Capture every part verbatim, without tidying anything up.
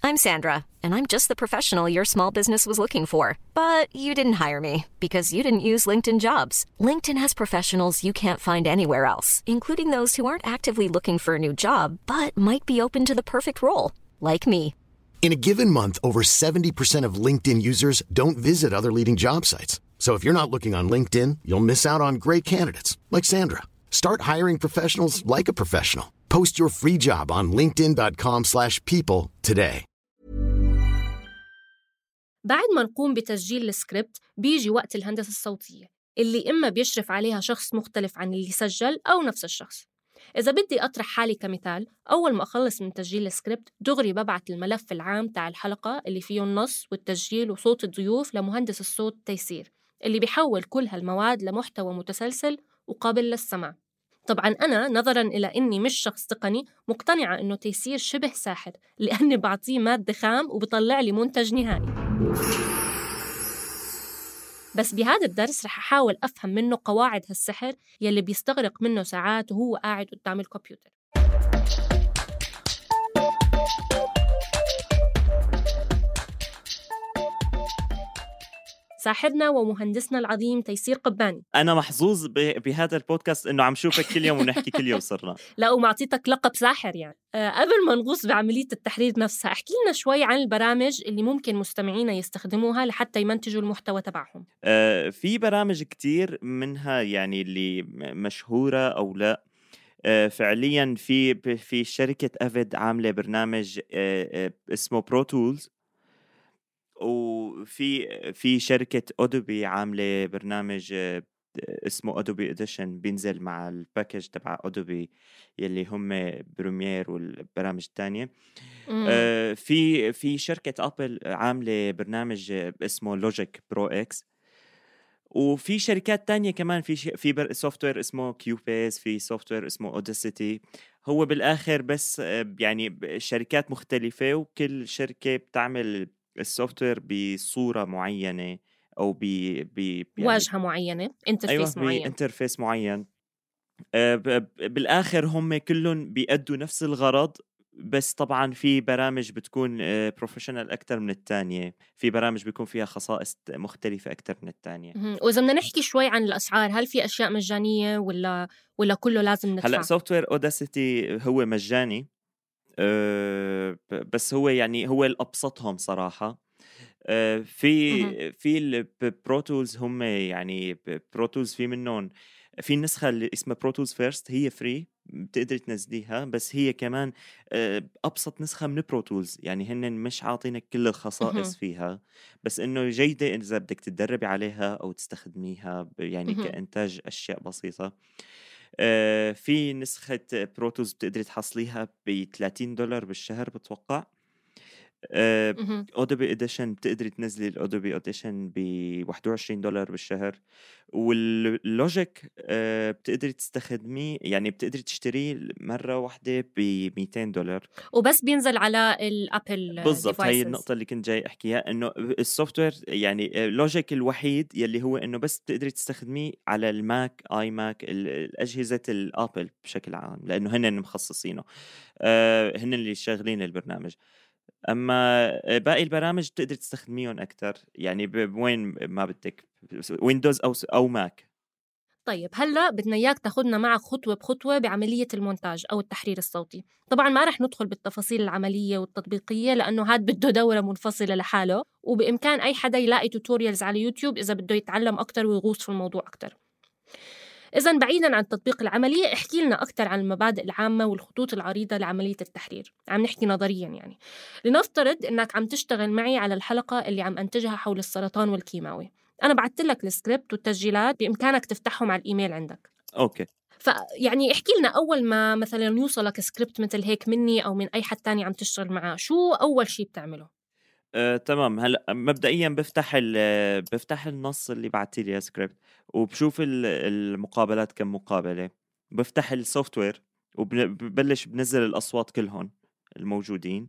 I'm Sandra, and I'm just the professional your small business was looking for. But you didn't hire me because you didn't use LinkedIn Jobs. LinkedIn has professionals you can't find anywhere else, including those who aren't actively looking for a new job, but might be open to the perfect role, like me. In a given month, over seventy percent of LinkedIn users don't visit other leading job sites. So if you're not looking on LinkedIn, you'll miss out on great candidates like Sandra. Start hiring professionals like a professional. Post your free job on linkedin dot com slash people today. بعد ما نقوم بتسجيل السكريبت بيجي وقت الهندسة الصوتية اللي إما بيشرف عليها شخص مختلف عن اللي سجل أو نفس الشخص. إذا بدي أطرح حالي كمثال، أول ما أخلص من تسجيل السكريبت دغري ببعت الملف العام تاع الحلقة اللي فيه النص والتسجيل وصوت الضيوف لمهندس الصوت تيسير، اللي بيحول كل هالمواد لمحتوى متسلسل وقابل للسمع. طبعاً أنا نظراً إلى إني مش شخص تقني مقتنعة إنه تيسير شبه ساحر، لأني بعطيه مادة خام وبطلع لي منتج نهائي. بس بهذا الدرس رح أحاول أفهم منه قواعد هالسحر يلي بيستغرق منه ساعات وهو قاعد قدام الكمبيوتر. ساحرنا ومهندسنا العظيم تيسير قباني. أنا محظوظ بهذا البودكاست إنه عم شوفك كل يوم ونحكي كل يوم صرنا. لا ومعطيتك لقب ساحر يعني. أه قبل ما نغوص بعملية التحرير نفسها، احكي لنا شوي عن البرامج اللي ممكن مستمعينا يستخدموها لحتى يمنتجوا المحتوى تبعهم. أه في برامج كتير منها يعني اللي مشهورة أو لا. أه فعليا في في شركة أفيد عاملة برنامج أه اسمه برو تولز، وفي في شركة أودوبي عاملة برنامج اسمه أودوبي إديشن بينزل مع الباكج تبع أودوبي يلي هم بريمير والبرامج التانية. آه في في شركة أبل عاملة برنامج اسمه لوجيك برو إكس، وفي شركات تانية كمان في في سوفتوير اسمه كيوبيز، في سوفتوير اسمه أوديسيتي. هو بالآخر بس يعني شركات مختلفة، وكل شركة بتعمل السوفتوير بصورة معينة أو ب ب يعني واجهة معينة، انترفيس أيوة معين انترفيس معين. أه بالآخر هم كلهم بيأدوا نفس الغرض، بس طبعا في برامج بتكون بروفيشنال أكتر من التانية، في برامج بيكون فيها خصائص مختلفة أكتر من التانية. وإذا بدنا نحكي شوي عن الأسعار، هل في أشياء مجانية ولا ولا كله لازم ندفع؟ هلأ سوفتوير أوداسيتي هو مجاني، أه بس هو يعني هو الأبسطهم صراحة. أه في في البروتولز هم يعني بروتولز في منهم في النسخة اللي اسمها بروتولز فيرست، هي فري بتقدر تنزليها، بس هي كمان أبسط نسخة من بروتولز، يعني هن مش عاطينك كل الخصائص فيها، بس إنه جيدة إذا بدك تتدربي عليها أو تستخدميها يعني كإنتاج أشياء بسيطة. أه في نسخة بروتولز بتقدر تحصليها ب ثلاثين دولار بالشهر بتوقع. أودوبي إديشن بتقدري تنزلي الأودوبي إديشن ب واحد وعشرين دولار بالشهر، واللوجيك أه بتقدري تستخدميه يعني بتقدري تشتريه مرة واحدة ب مئتين دولار وبس بينزل على الأبل. بالضبط، هاي النقطة اللي كنت جاي أحكيها، إنه السوفتوير يعني لوجيك الوحيد يلي هو إنه بس بتقدري تستخدميه على الماك آي ماك الأجهزة الأبل بشكل عام، لأنه هن مخصصينه، أه هن اللي شغالين البرنامج. أما باقي البرامج بتقدر تستخدميهم أكتر يعني بوين ما بدك، ويندوز أو أو ماك. طيب هلأ بدنا إياك تاخدنا معك خطوة بخطوة بعملية المونتاج أو التحرير الصوتي. طبعاً ما رح ندخل بالتفاصيل العملية والتطبيقية لأنه هاد بده دورة منفصلة لحاله، وبإمكان أي حدا يلاقي توتوريالز على يوتيوب إذا بده يتعلم أكتر ويغوص في الموضوع أكتر. إذن بعيداً عن التطبيق العملي، احكي لنا أكتر عن المبادئ العامة والخطوط العريضة لعملية التحرير. عم نحكي نظرياً يعني. لنفترض إنك عم تشتغل معي على الحلقة اللي عم أنتجها حول السرطان والكيماوي. أنا بعت لك السكريبت والتسجيلات، بإمكانك تفتحهم على الإيميل عندك. أوكي. فيعني احكي لنا أول ما مثلاً يوصلك سكريبت مثل هيك مني أو من أي حد تاني عم تشتغل معاه، شو أول شي بتعمله؟ أه، تمام. هلا مبدئيا بفتح بفتح النص اللي بعتي لي سكريبت، وبشوف المقابلات كم مقابله، بفتح السوفت وير وببلش بنزل الاصوات كلهم الموجودين،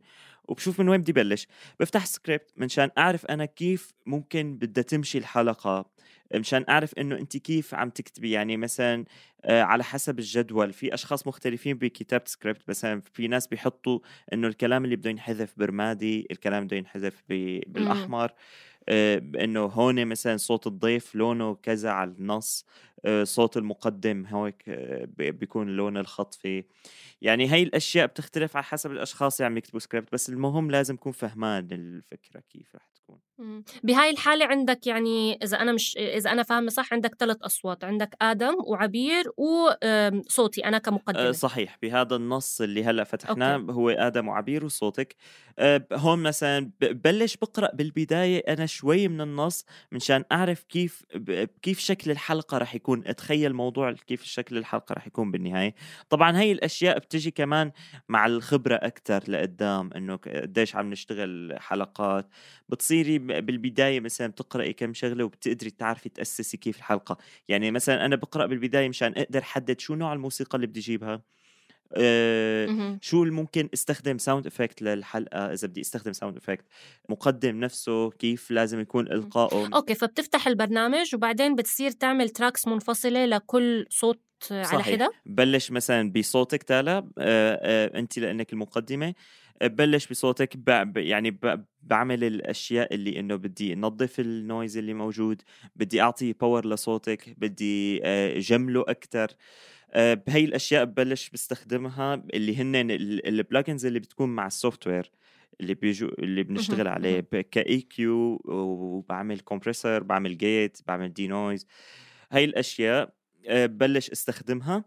وبشوف من وين بدي بلش. بفتح سكريبت منشان أعرف أنا كيف ممكن بدها تمشي الحلقة، مشان أعرف إنه أنت كيف عم تكتبي. يعني مثلا آه على حسب الجدول، في أشخاص مختلفين بكتابة سكريبت. مثلا في ناس بيحطوا إنه الكلام اللي بده ينحذف برمادي، الكلام بده ينحذف بالأحمر، آه إنه هون مثلا صوت الضيف لونه كذا على النص، آه صوت المقدم هيك آه بيكون لون الخط فيه. يعني هاي الأشياء بتختلف على حسب الأشخاص اللي عم يكتبوا سكريبت، بس المهم لازم يكون فهمان الفكرة كيف رح تكون. بهاي الحالة عندك يعني إذا أنا مش إذا أنا فاهمة صح عندك ثلاث أصوات، عندك آدم وعبير وصوتي أنا كمقدمة. صحيح، بهذا النص اللي هلأ فتحناه أوكي. هو آدم وعبير وصوتك. هون مثلا ببلش بقرأ بالبداية أنا شوي من النص منشان أعرف كيف كيف شكل الحلقة رح يكون، أتخيل موضوع كيف شكل الحلقة رح يكون بالنهاية. طبعا هاي الأشياء بتجي كمان مع الخبرة أكتر لقدام، إنه قديش عم نشتغل حلقات. بتصيري بالبداية مثلا بتقرأي كم شغلة وبتقدري تعرفي تأسسي كيف الحلقة. يعني مثلا أنا بقرأ بالبداية مشان أقدر حدد شو نوع الموسيقى اللي بدي أجيبها، أه شو اللي ممكن استخدم ساوند افكت للحلقة، إذا بدي استخدم ساوند افكت، مقدم نفسه كيف لازم يكون إلقائه. أوكي، فبتفتح البرنامج وبعدين بتصير تعمل تراكس منفصلة لكل صوت على حدة. بلش مثلا بصوتك تالا، أه أه أنت لأنك المقدمة بلش بصوتك، ب... يعني ب... بعمل الأشياء اللي إنه بدي نظف النويز اللي موجود، بدي أعطي باور لصوتك، بدي جمله أكتر. بهاي الأشياء ببلش بستخدمها اللي هن البلاجنز اللي بتكون مع السوفت وير اللي بيجو اللي بنشتغل عليه كإي كيو، وبعمل كومبريسر، بعمل جيت، بعمل دي نويز. هاي الأشياء ببلش استخدمها.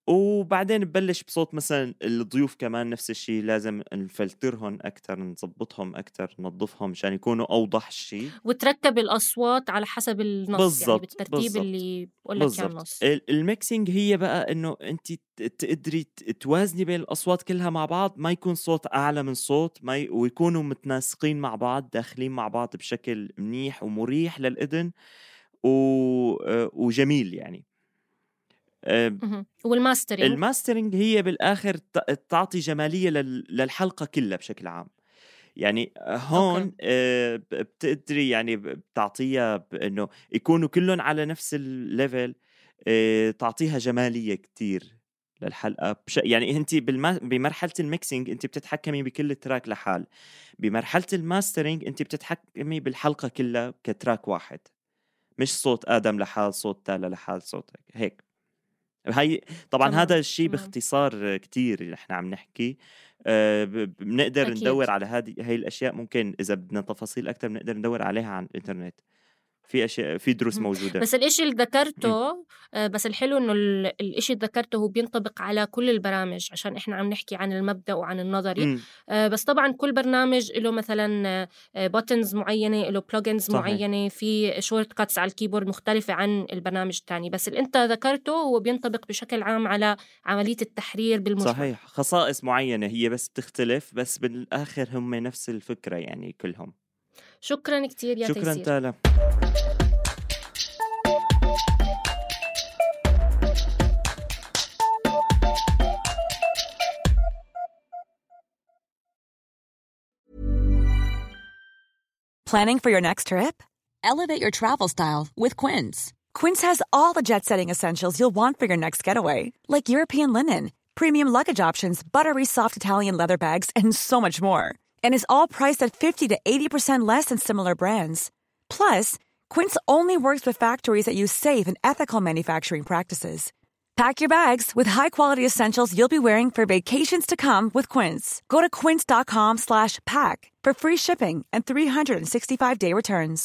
وبعدين ببلش بصوت مثلا الضيوف كمان نفس الشيء، لازم نفلترهم أكتر، نظبطهم أكتر، ننظفهم مشان يكونوا أوضح شيء، وتركب الأصوات على حسب النص بالزبط. يعني بالترتيب بالزبط. اللي بقول لك اياه النص. الميكسينج هي بقى إنه أنت تقدري توازني بين الأصوات كلها مع بعض، ما يكون صوت أعلى من صوت، ما ي... ويكونوا متناسقين مع بعض، داخلين مع بعض بشكل منيح ومريح للإذن و... وجميل يعني. أه والماسترينج الماسترينج هي بالآخر تعطي جمالية للحلقة كلها بشكل عام. يعني هون أوكي. أه بتقدري يعني بتعطيها إنه يكونوا كلهم على نفس الليفل، أه تعطيها جمالية كتير للحلقة بش... يعني أنت بالما... بمرحلة الميكسينج أنت بتتحكمي بكل تراك لحال، بمرحلة الماسترينج أنت بتتحكمي بالحلقة كلها كتراك واحد، مش صوت آدم لحال، صوت تالا لحال، صوتك هيك. هاي طبعا تمام. هذا الشيء باختصار كتير اللي احنا عم نحكي. أه بنقدر أكيد. ندور على هذه هاي الأشياء، ممكن إذا بدنا تفاصيل أكتر بنقدر ندور عليها عن الإنترنت، في أشياء في دروس موجودة. بس الإشي اللي ذكرته آه بس الحلو إنه الإشي اللي ذكرته هو بينطبق على كل البرامج، عشان إحنا عم نحكي عن المبدأ وعن النظري. آه بس طبعا كل برنامج له مثلا بوتنز معينة، له بلوجنز معينة، في شورت كاتس على الكيبورد مختلفة عن البرنامج الثاني. بس اللي أنت ذكرته هو بينطبق بشكل عام على عملية التحرير بالمجمل. صحيح، خصائص معينة هي بس بتختلف، بس بالآخر هم نفس الفكرة يعني كلهم. شكرا كتير يا شكرا تيسير. تالا. Planning for your next trip? Elevate your travel style with Quince. Quince has all the jet-setting essentials you'll want for your next getaway, like European linen, premium luggage options, buttery soft Italian leather bags, and so much more. And is all priced at fifty to eighty percent less than similar brands. Plus, Quince only works with factories that use safe and ethical manufacturing practices. Pack your bags with high-quality essentials you'll be wearing for vacations to come with Quince. Go to quince.com slash pack for free shipping and three sixty-five day returns.